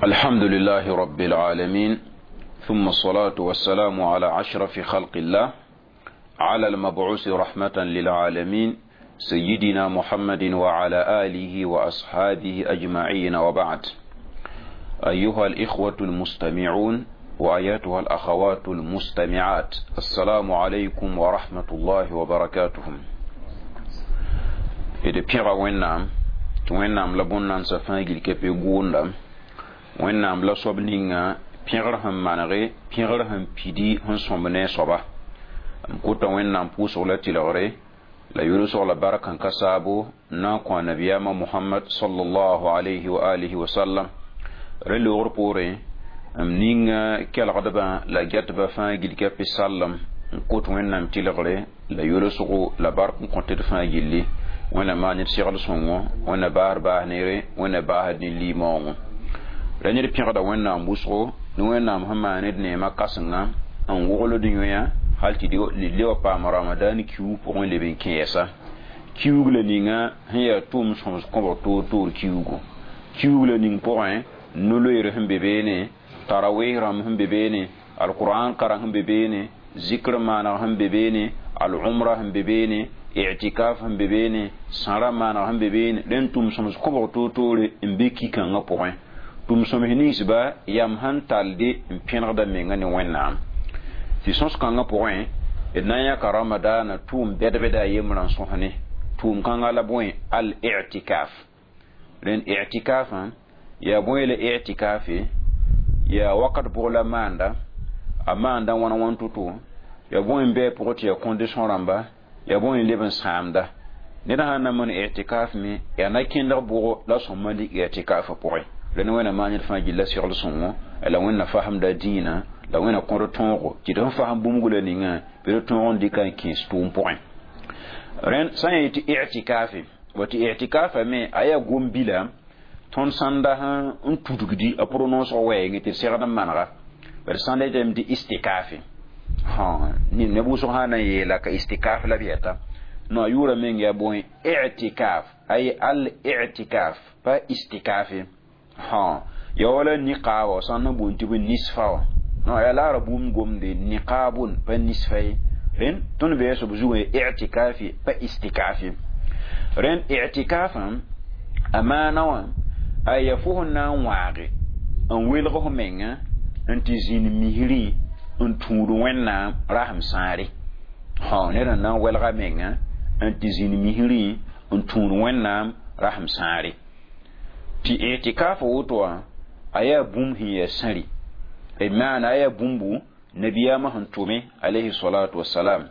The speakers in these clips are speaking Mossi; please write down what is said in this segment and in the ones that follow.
الحمد لله رب العالمين، ثم الصلاة والسلام على أشرف خلق الله، على المبعوث رحمة للعالمين، سيدنا محمد وعلى آله وأصحابه أجمعين، وبعد. أيها الإخوة المستمعون وأيتها الأخوات المستمعات، السلام عليكم ورحمة الله وبركاته. D pẽga Wẽnnaam tɩ Wẽnnaam la bõn-nansã fãa gil kepe gʋʋnda. Wẽnnaam la soab ninga pẽgr sẽn manege, pẽgr sẽn pidi, sẽn sõmb ne a soaba. M kʋta Wẽnnaam pʋʋsg la tɩlgre la yʋlsg la bark n ka saabo n na n kõ a nabiyaamã Mohamad sallallahu alayhi wa alihi wa sallam. Rẽ loogr poorẽ, m ninga kelgdbã la gɛtbã fãa gil ka pe sallem n kot Wẽnnaam tɩlgre la yʋlsgo la bark n kõt d fãa gilli. Wẽnna maan ned segl sõngo, Wẽnna baasd baas neere, Wẽnna baasd ne limaoongo. Ra ned pẽgda Wẽnnaam wʋsgo ne Wẽnnaam sẽn maan ned neemã kãsenga n wogld yõya hal tɩ le wa paam Ramadan kiuug pʋgẽ leb n kẽesa. Kiuug la ninga sẽn yaa tʋʋm sõms kõbg toor-toor kiuugu. Kiuug la ning pʋgẽ, no-loeer sẽn be beene, tarawih rãmb sẽn be beene, alquran kareng sẽn be beene, zikr maaneg sẽn be beene, al-umra sẽn be beene, i'tikaf sẽn be beene, sãra maaneg sẽn be beene, rẽnd tʋʋm sõms kõbg toor-toore n be ki-kãngã pʋgẽ. Tʋʋm sõms ninsba yam sẽn talde n pẽnegda menga ne Wẽnnaam. Tɩ sõs-kãngã pʋgẽ, d na n yãka Ramadaana tʋʋm bɛd-bɛda a yembrã n sõsne. Tʋʋm kãngã la bõe? Al-i'tikaf. Rẽnd i'tikafã yaa bõe la i'tikafe? Yaa wakat bʋg la maanda, a maanda wãn wãn to-to? Yaa bõe n bɩ a pʋgẽ tɩ yaa condition rãmba? Yaa bõe n leb n sãamda? Ned sã n na maan i'tikaf me, yaa na kẽndg bʋgo la sõmba dɩk i'tikafã pʋgẽ? Rẽnd Wẽnna maan ned fãa gilla segl sõngo la Wẽnna fasemda dĩinã la Wẽnna kõd tõogo tɩ d sẽn fasem bũmb la ninga bɩ d tõog n dɩka n kẽes tʋʋm pʋgẽ. Rẽnd sã n yetɩ i'tikafe wa, tɩ i'tikafa me a yaa gom-bila tõnd sãnda n tudgdi a prononce wɛɛngẽ tɩ d segd n manega, bad sãnda yetame tɩ istikafe. Neb wʋsg sã na n yeela ka istikaf la b yɛta no, a yʋʋra meng yaa bõe? I'tikaf, ay al i'tikaf, pa istikafe. Ya wala niqaaba sãn na boond tɩ bɩ nisfa wã no, yaa laara bũmb gomde niqaabun, pa nisfa ye. Rẽnd tõnd bɩ soab zugã i'tikafi, pa istikafi. Rẽnd i'tikafã a maana wã a ya fo sẽn na n wãage n welg f menga n tɩ zĩnd misrẽ n tũud Wẽnnaam rasem sãare. Ned n na n welga menga n tɩ zĩnd misrẽ n tũud Wẽnnaam rasem sãare. Tɩ i'tikafa woto wã a yaa bũmb sẽn yaa sãri, maana a yaa bũmbu nabiyaamã sẽn tʋme alayhi salatu wasalam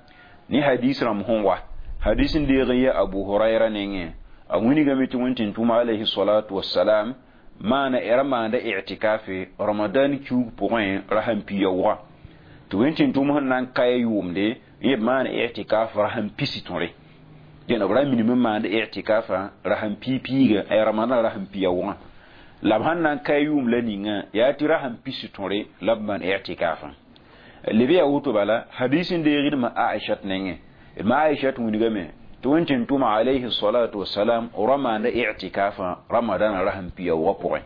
ne hadis rãmb sẽn wa. Hadis n deeg n yaa Abu Hurayra nengẽ, a wilgame tɩ Wẽn tʋma alayhi salatu wasalam maana ra maanda i'tikafe Ramadan kiuug pʋgẽ rasam pia wʋga, tɩ Wẽn tʋm sẽn na n kaya yʋʋmde yẽ b maana i'tikaf rasam pisi tõre. Dẽn b ra minim n maand i'tikafa rasam pii-piiga a Ramadan rasam pia wʋgã, la b sẽn na n ka yʋʋm la ninga yaa tɩ rasam pisi tõre la b maan i'tikafã. Leb yaa woto bala, hadis n deegdmã Aishat nengẽ, ma Aishat wilgame tɩ Wẽn tʋma alayhi salatu wasalam ra maanda i'tikafa Ramadan rasam pia wʋgã pʋgẽ,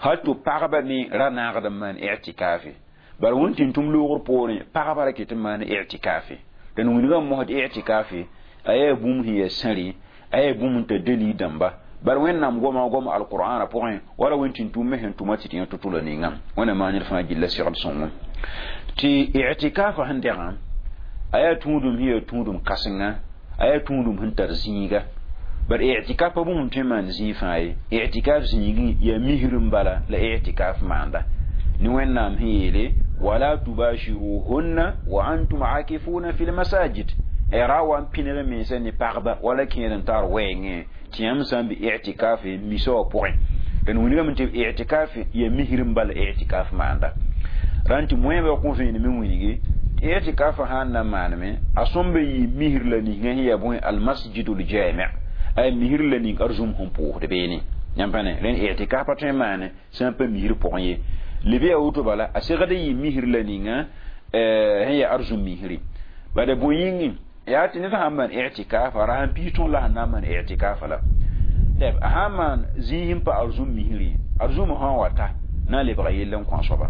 hal tɩ pagba me ra naagd n maan i'tikafe. Bara Wẽn tʋm loogr poorẽ, pagba ra ket n maan i'tikafe. Dẽn wilgame mosd i'tikafe a yaa bũmb sẽn yaa sãri, a yaa bũmb n tar dalil dãmba. Bara Wẽnnaam goma gom alqur'ana pʋgẽ wala Wẽn tʋm me sẽn tʋma tɩ tɩ yã to-to la ninga. Wẽnna maan ned fãa gilla segl sõngo. Tɩ i'tikafa sẽn dɛgã a yaa tũudum sẽn yaa tũudum kãsenga, a yaa tũudum sẽn tar zĩiga. Bara i'tikaf pa bũmb tõe n maan zĩig fãa ye. I'tikaf zĩigẽ yaa misr n bala la i'tikaf maanda ne Wẽnnaam sẽn yeele: wala tubashiruhunna wa antum akifuna fi lmasajid. Ra wa n pĩneg mensã ne pagba wala kẽer n tar wɛɛngẽ tɩ yãmb sã n be i'tikafe misa wã pʋgẽ. Dẽn wilgame tɩ i'tikaf yaa misr n bala i'tikaf maanda. Rãn tɩ moẽbã kõ vẽenem n wilgi tɩ i'tikafã sã n na n maaneme, a sõmba yɩ misr la ninga sẽn yaa bõe? Almasjidul jami, ay misr la ning arzũm sẽn pʋʋsd beene. Yãmb pa ne rẽnd i'tikaf pa tõe n maane sã n pa misr pʋgẽ ye. Leb yaa woto bala, a segd n yɩ misr la ninga sẽn yaa arzũm misri. Bala bõe yĩngẽ yaa tɩ ned sãn maan i'tikafa rasam piis tõr la sẽn na n maan i'tikafa la tɛb a sãn maan zĩig n pa arzũm misri, arzũmã sã n wa ta na lebga yell n kõ a soaba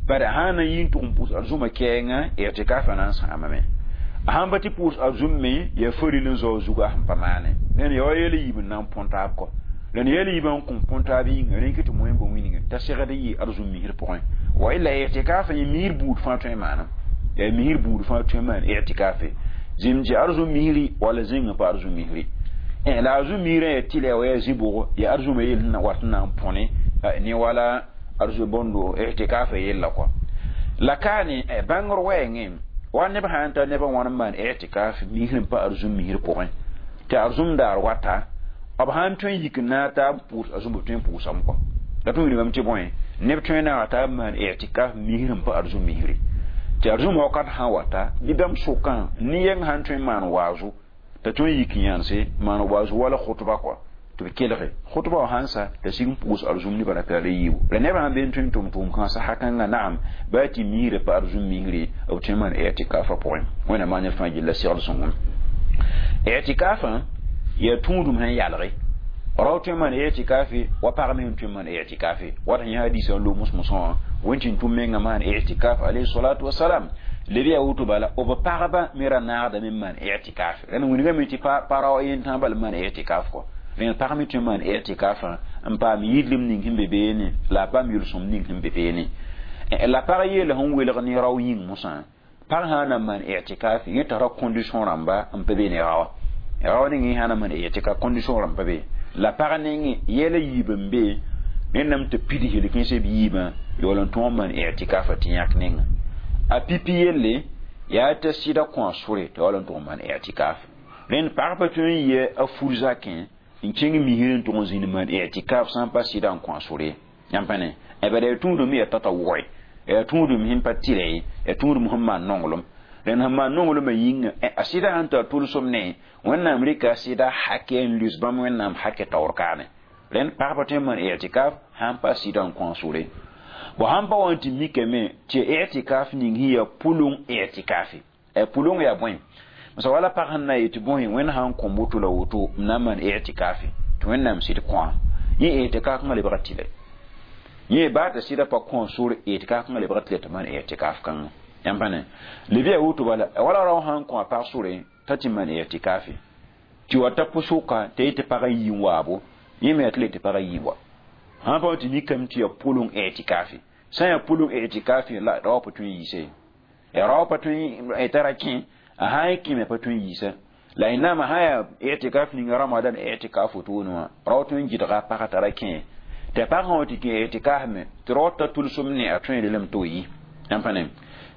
bare sã na yɩ n tʋg n pʋʋs arzũmã kɛɛngã i'tikafã na n sãamame a sãn pa tɩ pʋʋs arzũm me yaa faril n zao zuga sẽn pa maane rẽnd yaa wa yel yiib n na n põn taab kɔ la yel yiibã n kõ põn taab yĩnga rẽn tɩ moẽmba wĩnge t'a segd n yɩ arzũm misr pʋgẽ wa illa i'tikafã yẽ misr buud fãa tõe n maana yaa misr buud fãa tõe n maan i'tikafe zĩm tɩ arzũm misri walla zĩngã pa arzũm misri la arzũm misrã yaa tɩlɛ wa yaa zĩ-bʋgo yaa arzũmã yell sẽn na wat n na n põne ne wala arzu bõndo i'tikafa yella kɔ la kaane bãngr wɛɛngẽ wa neb sã n ta neb n wãn n maan i'tikaf misr n pa arzũm misr pʋgẽ tɩ arzũm daar wata b sãn tõe n yik n naag taab pʋʋs arzũm b tõe n pʋʋsame kɔ la tõe n wilgame tɩ bõe neb tõe n naaga taab maan i'tikaf misr n pa arzũm misri tɩ arzũm wakat sã n wata bɩ bãmb sʋkã ne-yɛng sãn tõe n maan waazo t'a tõe n yik n yãnse maan waazo wala khutba kɔ tɩ b kelge khutba wã sãn sa t'a sig n pʋʋs arzũm nebã ra paool yiibu la nebã sãn be n tõe n tʋm tʋʋm kãnsã hakãngã naam baa tɩ misrã pa arzũm misri b tõe n maan i'tikafã pʋgẽ wẽnnaam maan ned fãa gilla segd sõngem i'tikafã yaa tũudum sẽn yalge rao tõe n maan i'tikafe wa pag me sẽn tõe n maan i'tikafe wat sẽn yã hadiisã n loog mos-mosã wã wẽn tɩ n tʋm mengã maan i'tikaf alayhi salatu wasalam leb yaa woto bala b pagba me ra naagdame n maan i'tikaf rẽnd wilgame tɩ pa rao yen tãag bal n maan i'tikaf kɔ rẽnd pag me tõe n maan i'tikafã n paam yidlem ning sẽn be beene la a paam yel-sõm ning sẽn be beene la pag yeela sẽn welg ne rao yĩng mosã pag sã n na n maan i'tikaf yẽ tara condition rãmba n pa be ne raoa rao ning sã na maan i'tikaf condition rãmb pa be la pag nengẽ yɛla yiib n be rẽndame tɩ pid helkẽnsã b yiibã yaool n tõog n maan i'tikafã tɩ yãk nenga a pipi yelle yaa t'a sɩda kõ a sore tɩ yaool n tʋg n maan i'tikaf rẽnd pag pa tõe n yɩ a fur zakẽ n kẽng misr n tʋg n zĩnd maan i'tikaf sã n pa sɩda n kõ a sore yãmb pa ne bala yaa tũudum yaa tata wʋgẽ yaa tũudum sẽn pa tɩrɛ ye yaa tũudum sẽn maan nonglem rẽnd sẽn maan nonglmã yĩnga a sɩda sãn tar tʋlsem ne wẽnnaam rɩka a sɩda hakɛ n lus bãmb wẽnnaam hakɛ taoor kaane rẽnd pagba tõe n maan i'tikaf sãn pa sɩda n kõ a sore bo sãn pa wa n tɩ mikame tɩ i'tikaf ning sẽn yaa pʋlʋng i'tikafe pʋlʋng yaa bõe masa wala pag sẽn na yetɩ bõe wẽnd sã n kõ woto la woto m na n maan i'tikafe tɩ wẽnnaam sɩd kõa yẽ i'tikaf kãngã lebga tɩlɛ yẽ baa t'a sɩda pa kõ sore i'tikaf kãngã lebga tɩlɛ tɩ maan i'tikaf kãngã yãmb pa ne leb yaa woto bala wala rao sã n kõ a pag sore t'a tɩ maan i'tikafe tɩ wa ta pʋsʋka t'a yetɩ pagã yii n waabo yẽ me yaa tɩ le tɩ pagã yii wa sãn pa tɩ mikame tɩ yaa pʋlʋng i'tikafe sã n yaa pʋlʋng i'tikafe la rao pa tõe n yiise rao pa tõe t'a ra kẽ a sã n kẽme pa tõe n yiisa la y naama sã yaa i'tikaf ninga ramadan i'tikaf wotone wã rao tõe n gɩdga a pagã t'a ra kẽ tɩ a pag sã wa tɩ kẽ i'tikaf me tɩ rao ta tʋlsem ne a tõe n relem tɩ yi yãmb pa ne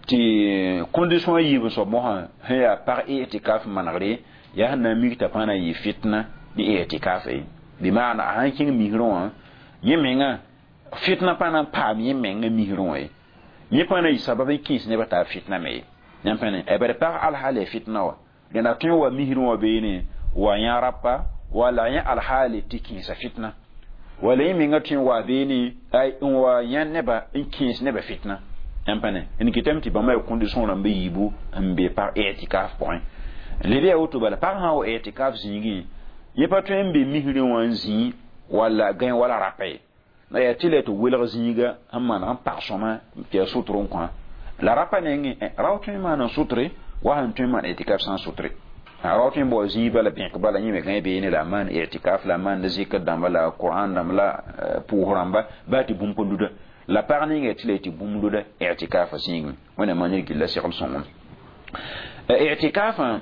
tɩ condition a yiib n soab mosã sẽn yaa pag i'tikaf manegre yaa sẽn na n mik t'a pãa na n yɩ fitna ne i'tikaf ye bɩ maana a sãn kẽng misrẽ wã yẽ menga fitna pa na n paam yẽ menga misrẽ wã ye yẽ pãa na yɩ sabab n kẽes nebã t'a fitna me ye yãmb pa ne bari pag alhaal ya fitna wa rẽnd a tõe n wa misrẽ wã beene wa yã rapa wala yẽ alhaale tɩ kẽesa fitna wala yẽ menga tõe n wa beene n wa yã neba n kẽes nebã fitna yãmb pa ne n kɩtame tɩ bãmba yaa condition rãmba yiibu n be pag i'tikaf pʋgẽ leb yaa woto bala pag sã n wa i'tikaf zĩigẽ yẽ pa tõe n be misrẽ wã n zĩi wala gãe wala rapa ye la yaa tɩ la tɩ welg zĩiga sẽn maneg n pag sõma tɩ yaa sʋtr n kõ la rapa nengẽ rao tõe n maan n sʋtre wa sẽn tõe n maan i'tikaf sã n sʋtre rao tõe n bao zĩig bala bẽk bala yẽ me gãe beene la a maan i'tikaf la a maand zikr dãmba la Qur'an dãmb la pʋʋs rãmba baa tɩ bũmb pa luda la pag ninga tɩ la tɩ bũmb luda i'tikafã zĩigẽ wẽnnaam maan ned gilla segl sõngem i'tikafã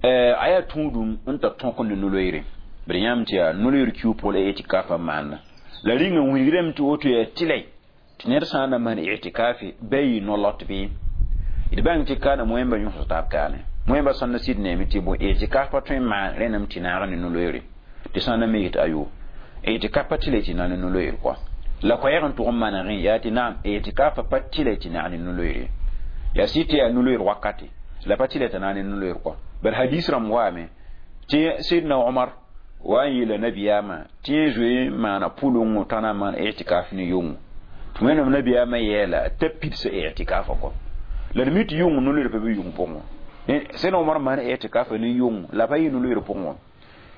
a yaa tũudum n tar tõk ne no-loeere bd yãmb tɩ yaa no-loeer kiu pʋgã la i'tikafã maanda la rĩnga wilgrame tɩ woto yaa tɩlɛ tɩ ned sã n na maan i'tikafe ba yɩ no-lot bɩ d bãng tɩ kaana moẽmba yõsg taab kaane moẽmba sãn na sɩd neeme tɩ bõe i'tikaf pa tõe n maan rẽndame tɩ naag ne no-loeere tɩ sã n na me yet ayo i'tikaf pa tɩlɛ tɩ na ne no-loeer kɔa la koɛɛg n tʋg n manegẽ yaa tɩ naam i'tikafã pa tɩlɛ tɩ naag ne no-loeere yaa sɩd tɩ yaa no-loeer wakate la pa tɩlɛ tɩ naag ne no-loeer kɔa bari hadis rãmb waame tɩ sidna Omar wa n yeela nabiyaamã tɩ yẽ zoe n maana pʋlʋngõ t'a na n maan i'tikaf ne yʋngo tɩ wẽnnaam nabiyaamã yɛɛla t'a pidsa i'tikafã kɔ la d mi tɩ yʋng no-loeer pa be yʋng pʋgẽ sidna Omar maan i'tikafa ne yʋng la pa yɩ no-loeer pʋgẽ wã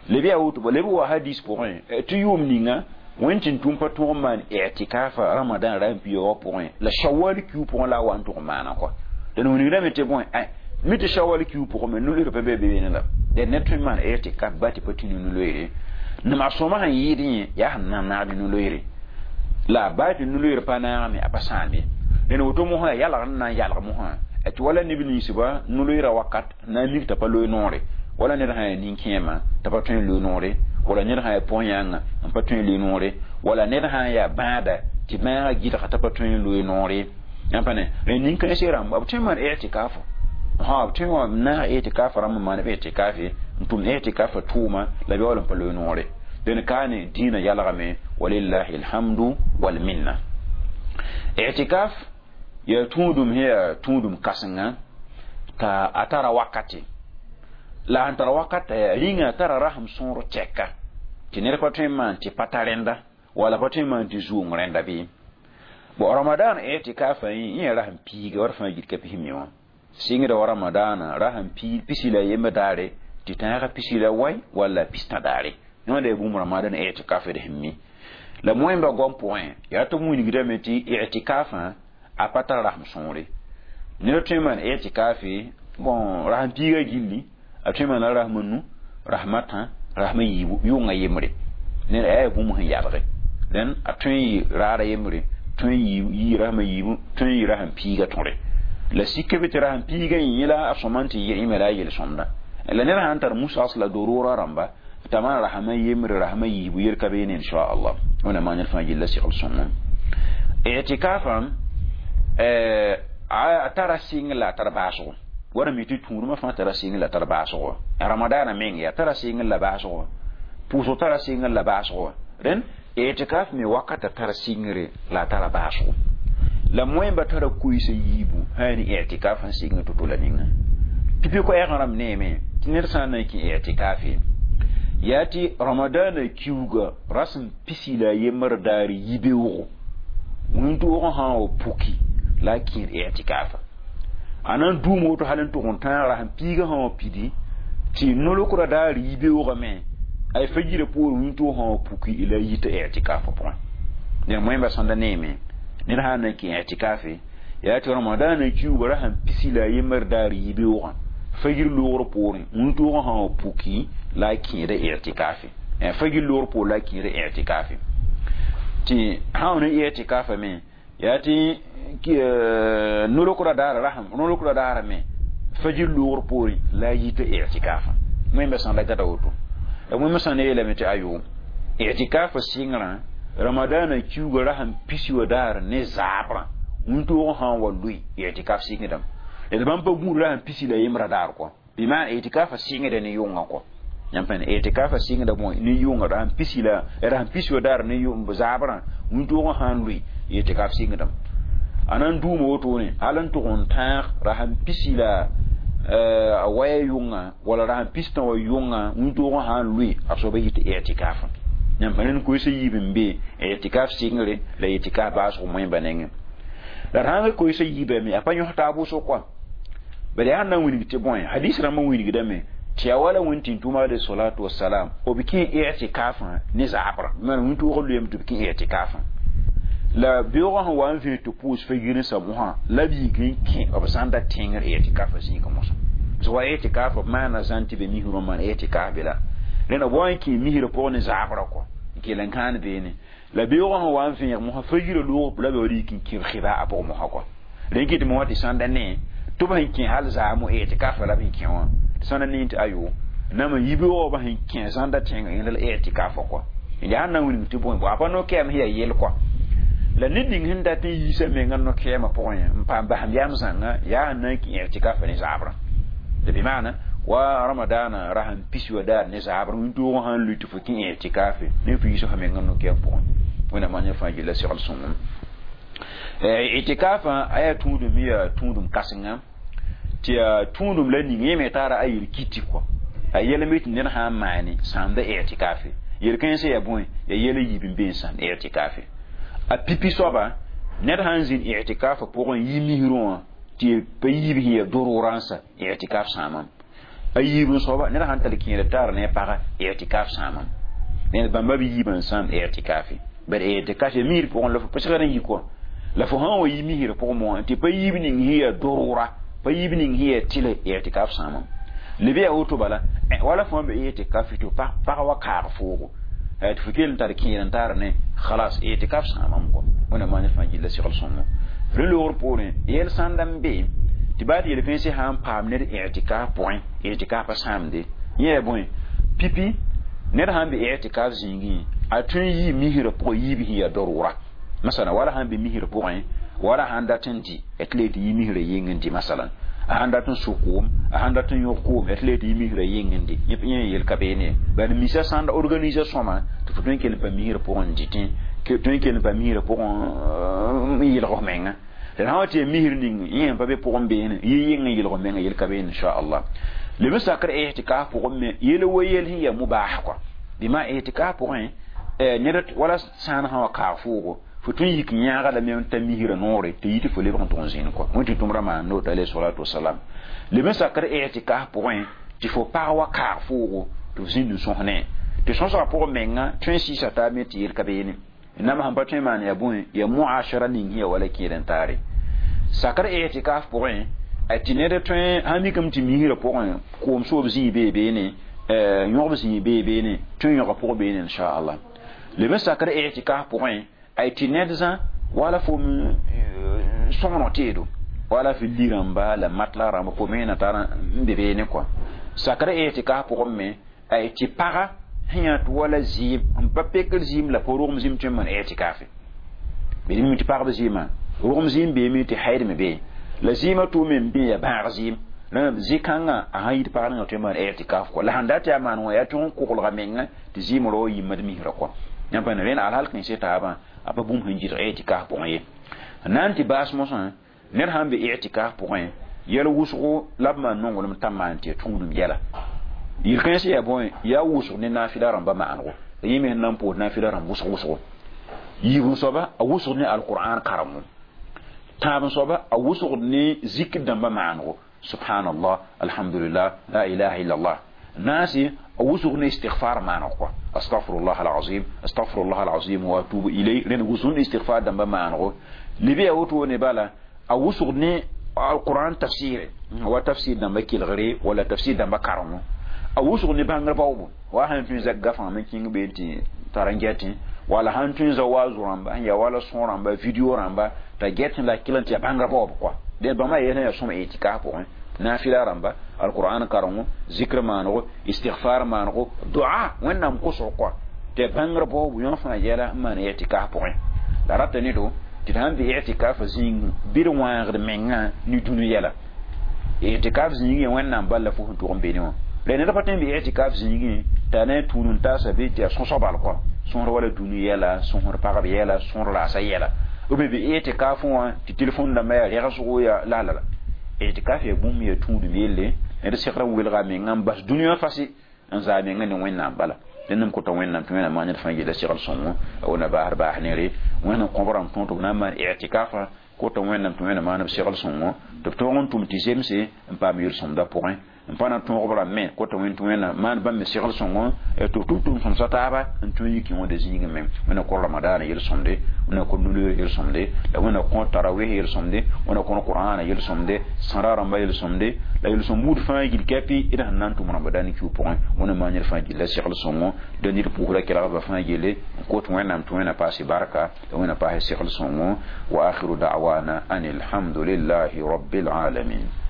leb yaa woto leb wa hadis pʋgẽ tɩ yʋʋm ninga Wẽn tũm pa tõog n maan i'tikafa ramadan ra n piooga pʋgẽ la shawal kiu pʋgẽ la a wa n tʋg n maana kɔa. Dẽn wilgdame tɩ bõe mi tɩ shawal kiu pʋgẽ me no-loeer pa be beene la dẽn ned tõe n maan i'tikaf ba tɩ pa tũ ne no-loeere nama sõma sẽn yɩɩd yẽ yaa sẽn na n naag ne no-loeere la baa tɩ no-loeer pa naagame a pa sãam ye. Dẽn woto mosã yalgr n na n yalg mosã tɩ wala neb ninsba no-loeerã wakat na n mik t'a pa loe noore wala ned sã yaa nin-kẽema t'a pa tõe n loe noore wala ned sã yaa pʋg-yãnga n pa tõe n loe noore wala ned sã n yaa bãada tɩ bãagã gɩdga t'a pa tõe n loe noore yãmb pa ne rẽ nin-kãensã rãmb b tõe n maan i'tikafo b tõe n wa naag i'tikaf rãmb n maan b i'tikafe n tʋm i'tikafa tʋʋma la b yaool n pa loe noore. Dẽn kaane dĩinã yalgame walillahi alhamdu walminna. I'tikaf yaa tũudum sẽn yaa tũudum kãsenga t'a a tara wakate la sẽn tara wakata yaa rĩnga tara rasem sõor tɛka tɩ ned pa tõe n maan tɩ pa ta rẽnda wala pa tõe n maan tɩ zuong rẽnda bɩ. Bon ramadan i'tikafa yẽ yaa rasem piiga wa d fãa git ka pis mi wã sɩngda wa ramadaana rasem pisi la yemb daare tɩ tãagã pisi la wai walla pistã daare yõnda yaa bũmb ramadan i'tikaf d sẽn mi la moẽmba goam pʋgẽ yaa tɩ b wilgdame tɩ i'tikafã a pa tar rasem sõore ned tõe n maan i'tikafe bon rasem piiga gilli a tõe n maana rasem nu rasem a tã rasem a yiibu yʋnga yembre ned a yaa bũmb sẽn yalge dẽn a tõe n yɩ raara yembre tõe n yɩ rasem a yiibu tõe n yɩ rasem piiga tõre la sika be tɩ rasem piiga yẽ la a sõma n tɩ yɩ la a yel-sõmda la ned sãn tar musas la dorora rãmba t'a maan rasem a yembre rasem a yiibu yel ka beene inchallah wẽnnaam maan ned fãa gilla segl sõngem. I'tikafã a tara sɩng la a tar baasgo wara mi tɩ tũudmã fãa tara sɩng la tar baasgo ramadaana meng yaa tara sɩng la baasgo pʋʋsg tara sɩng la baasgo rẽn i'tikaf me wakata tara sɩngre la a tara baasgo la moẽmba tara koeesa yiibu sã ne i'tikaf sẽn sɩng to-to la ninga pipi koɛɛg rãmb neeme tɩ ned sã n na n kẽ i'tikafe yaa tɩ ramadaana kiuga rasem pisi la a yembr daar yibeoogo wĩntoogã sã n wa puki la a kẽed i'tikafa a na n duum woto hal n tʋg n tãag rasem piigã sã wa pidi tɩ nolokrã daar yibeoogame ay fajirã poor wĩntoog sã wa puki la a yita i'tikafa pʋgẽ. Ned moẽmba sõnda neeme ned sã n na n kẽ i'tikafe yaa tɩ ramadaana kiuga rasem pisi la a yembr daar yibeoogã fajir loogr poorẽ wĩntoogã sã wa puki la a kẽeda i'tikafe fajir loogr poor la a kẽeda i'tikafe tɩ sã wa ne i'tikafa me yaa tɩ nolokrã daara rasem nolokrã daara me fajir loogr poorẽ la a yita i'tikafa wẽmba sã n la gata woto la wẽmba sã n yeelame tɩ ayo i'tikafa sɩngrã ramadaana kiuga rasem pisi wa daar ne zaabrã wĩntoogã sã n wa lʋɩ i'tikaf sɩngdame d bãmb pa gũud rasem pisi la yembrã daar kɔ bɩ maan i'tikafa sɩngda ne yʋngã kɔ yãmb pa ne i'tikafa sɩngda bõe ne yʋnga rasem pisi la rasem pisi wa daar ne zaabrã wĩntoogã sã n lʋɩ i'tikaf sɩngdame a na n duuma wotone hal n tʋg n tãag rasem pisi la a waya yʋnga wala rasem pistã wa yʋnga wĩntoogã sã n lʋɩ a soaba yɩ tɩ i'tikafã yãmb pa ned koeesa yiib n be i'tikaf sɩngre la i'tikaf baasg moẽmba nengẽ la d sãn koeesa yiibame a pa yõs taab wʋsg kɔa bala yaa sẽn na n wilg tɩ bõe hadis rãmbã wilgdame tɩ yaa wala wẽn tɩ tʋma alayhi salatu wasalam b kẽ i'tikafã ne zaabrã maan wĩntoogã lʋyame tɩ b kẽ i'tikafã la beoogã sẽn wa n vẽ tɩ pʋʋs fa-ginsã mosã la b yik n kẽ b zãnda tẽngr i'tikafa zĩigã mosã tɩ wa i'tikaf b maana zãn tɩ be misrã n maan i'tikaf be la rẽna b wa n kẽ misrã pʋgẽ ne zaabrã kɔ n kell n kãan beene la beoogã sẽn wa n vẽeg mosã fa-yirã loog la b yaool yik n kẽ b khɩba a pʋgẽ mosã kɔ rẽ kɩ tɩ mosã tɩ sãnda ne tɩ b sẽn kẽ hal zaamo i'tikafa la b sẽn kẽ wã tɩ sãnda ne tɩ ayo nam n yibeoogã b sẽn kẽ zãnda tẽngã yẽnda la i'tikafa kɔ yaa sẽn na n wilg tɩ bõe a pa no-kɛɛm sẽn yaa yel kɔ la ned ning sẽn dat n yiisa menga no-kɛɛmã pʋgẽ n paam basem yam zãnga yaa sẽn na n kẽ i'tikafa ne zaabrã tɩ bɩ maana wa ramadaana rasem pisi wa daar ne zaabrã wĩntoogã sã n lʋɩ tɩ fo kẽ i'tikafe ne fo yiisa fo menga no-kɛɛm pʋgẽ wẽnnaam maan yẽ fãa gilla segl sõngem. I'tikafã a yaa tũudum yaa tũudum kãsenga tɩ yaa tũudum la ning yẽ me tara a yel kiti kɔ a yɛl me tɩ ned sã n maane sãamda i'tikafe yel-kãensã yaa bõe yaa yɛl a yiib n be n sãam i'tikafe a pipi soaba ned sã n zĩnd i'tikafa pʋgẽ yi misrã wã tɩ pa yiib sẽn yaa dororãnsa i'tikaf sãamam a yiib n soaba ned sãn tall kẽeda taar ne a paga i'tikaf sãamam Ned bãmba b yiibã n sãam i'tikafe bad i'tikaf ya misr pʋgẽ la fo pa segd n yi kɔ la fo sã n wa yi misrã pʋgẽ moã tɩ pa yiib ning sẽn yaa dorora pa yiib ning sẽn yaa tɩlɛ i'tikaf sãamame leb yaa woto bala wala fo n be i'tikaf tɩ pag wa kaag foogo tɩ fo kell n tar kẽer n tar ne khalas i'tikaf sãamame kɔ wẽnnaam maan ned fãa gilla segl sõngo rẽ loogr poorẽ yɛl sãnda n be tɩ baa tɩ yel-kãensã sã n paam ned i'tikaf pʋgẽ i'tikaf pa sãamde yẽ yaa bõe pipi ned sãn be i'tikaf zĩigẽ a tõe n yii misrã pʋgẽ yiib sẽn yaa darura masala wala sãn be misrã pʋgẽ wala sãn dat n dɩ tɩ le tɩ yi misrã yeng n dɩ masalan a sãn dat n sʋ koom a sãn dat n yõg koom tɩ le tɩ yi misrã yeng n dɩ yẽ yel ka beene bad misa sãn da organiser sõma tɩ fo tõe n kell n pa misrã pʋgẽ n dɩtẽ tõe n kell n pa misrã pʋgẽ n yɩlg f menga la sã wa tɩ ya misr ning yẽ sẽn pa be pʋgẽ beene yɩ yeng n yɩlg f menga yel ka beene inchallah leb n sakr i'tikaf pʋgẽ me yel wa yel sẽn yaa mubah kɔa bɩ i'tikaf pʋgẽ ned wala sãan sã wa kaag foogo fo tõe n yik yãaga lame n ta misrã noore tɩ yi tɩ fo lebg n tʋg n zĩnd kɔ wẽn tɩ tʋmdã maan noot alayhi salatu wasalam leb n sakr i'tikaf pʋgẽ tɩ fo pag wa kaag foogo tɩ f zĩnd n sõs ne tɩ sõsgã pʋgẽ menga tõe n sɩɩsa taab me tɩ yel ka beene nam sẽn pa tõe n maan yaa bõe yaa muashara ning sẽn yaa wala kẽed n taare sakr i'tikaf pʋgẽ a tɩ ned tõe sãn mikame tɩ misrã pʋgẽ koom soob zĩig bee beene yõgb zĩig bee beene tõe n yõga pʋgẽ beene inchallah leb n sakr i'tikaf pʋgẽ ay tɩ ned zã wala fo sõgeneg teedo wala fo li rãmba la matla rãmba fo me na tar n be beene kɔa sakr i'tikaf pʋgẽ me ay tɩ paga sẽn yaa tɩ wala zɩɩm n pa pekr zɩɩm la pa rogem zĩm tõe n maan i'tikafe bd mi tɩ pagb zɩɩmã rogem zɩɩm beeme tɩ haid me bee la zɩɩmã tʋʋme n bee yaa bãag zɩɩm zĩ-kãngã a sãn yit pag ninga tõe n maan i'tikaf kɔ la sãn dat yaa maan wã yaa tʋg n koglga menga tɩ zɩɩm rao yimd misrã kɔ yãmb pa rẽnd alhal kẽese taabã a pa bũmb sẽn gɩdg i'tikaf pʋgẽ ye na n tɩ baas mosã ned sãn be i'tikaf pʋgẽ yɛl wʋsgo la b maan nonglem t'a maan tɩ ya tũudum yɛla yel-kãensã yaa bõe yaa wʋsg ne naafɩla rãmba maanego yẽ me sẽn na n poos naafɩla rãmb wʋsg wʋsgo yiib soaba a wʋsg ne alqur'an karengo tãab soaba a wʋsg ne zikr dãmba maanego subhanallah alhamdulillah la ilaha illallah naasi a wʋsg ne istighfar maanego kɔa astaghfirullah alazim astaghfirullah alazim wa atubu ilay rẽnd wʋsg ne istighfar dãmba maanego leb yaa woto ne bala a wʋsg ne alqur'an tafsire wa tafsir dãmba kelgre wala tafsir dãmba karengo a wʋsg ne bãngr baoobo wa sãn tõe n zak gafã me kĩng been tɩ tara n gɛtẽ wala sãn tõe n za waazo rãmba sẽn yaa wala sõo rãmba video rãmba t'a gɛtẽ la kell n tɩ yaa bãngrã baoob kɔa dẽ bãmba yɛl sẽn yaa sõm i'tikaf pʋgẽ naafɩla rãmba alqur'an karengo zikr maanego istighfar maanego dua wẽnnaam kosg kɔa tɩ yaa bãngrã baoobo yõ fãa yɛla n maan i'tikaf pʋgẽ la rata ne-do tɩ d sãn be i'tikaf zĩig bɩ d wãagd mengã ne dũni yɛla i'tikaf zĩigẽ wẽnnaam bal la fo sẽn tʋg n beene wã la ned pa tõe n be i'tikaf zĩigẽ t'a na n tũud n taasa be tɩ yaa sõsg bal kɔa sõsd wala dũni yɛla sõsd pagb yɛla sõsd raasa yɛla b be i'tikaf wã tɩ telefon dãmbã yaa rɛgsgo yaa la la la i'tikaf yaa bũmb yaa tũudum yelle ned segra welga menga n bas dũni wã fase n zaa menga ne wẽnnaam bala dẽnd n kota wẽnnaam tɩ wẽnnaam maan ned fãa yella segl sõngo a wona baasd baas nere wẽnd n kõb rãmb tõog tɩ b na n maan i'tikafa kota wẽnnaam tɩ wẽnnaam maan b segl sõngo tɩ b tõog n tʋm tɩ zemse n paam yel-sõmda pʋgẽ n pa na tõog b rãmb me kota wẽnd tɩ wẽnnaam maan bãmb me segl sõngo tɩ b tʋm tʋm sõmsa taaba n tõe n yik wẽnda zĩigẽ me wẽnna kõ ramadaana yel-sõmde wẽnna kõ nuloor yel-sõmde la wẽnna kõ tarawih yel-sõmde wẽnna kõ qur'ana yel-sõmde sãra rãmba yel-sõmde la yel-sõm buud fãa gil kɛpɩ d sẽn na n tʋm ramadan kiu pʋgẽ wẽnna maan ned fãa gilla segl sõngo da ned pʋʋsra kelgba fãa yelle n kot wẽnnaam tɩ wẽnna paase barka la wẽnna paase segl sõngo wa akhiru da'wana an alhamdulillahi rabbil alamin.